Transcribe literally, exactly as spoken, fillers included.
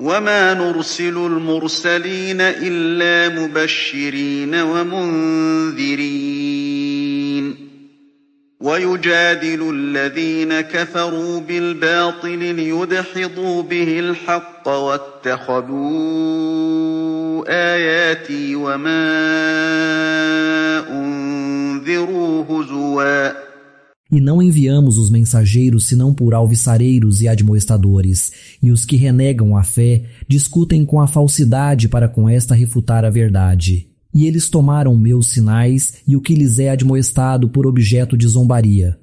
وما نرسل المرسلين إلا مبشرين ومنذرين ويجادل الذين كفروا بالباطل ليدحضوا به الحق واتخذوا آياتي وما أنذروا هزوا. E não enviamos os mensageiros senão por alvissareiros e admoestadores, e os que renegam a fé discutem com a falsidade para com esta refutar a verdade. E eles tomaram meus sinais e o que lhes é admoestado por objeto de zombaria.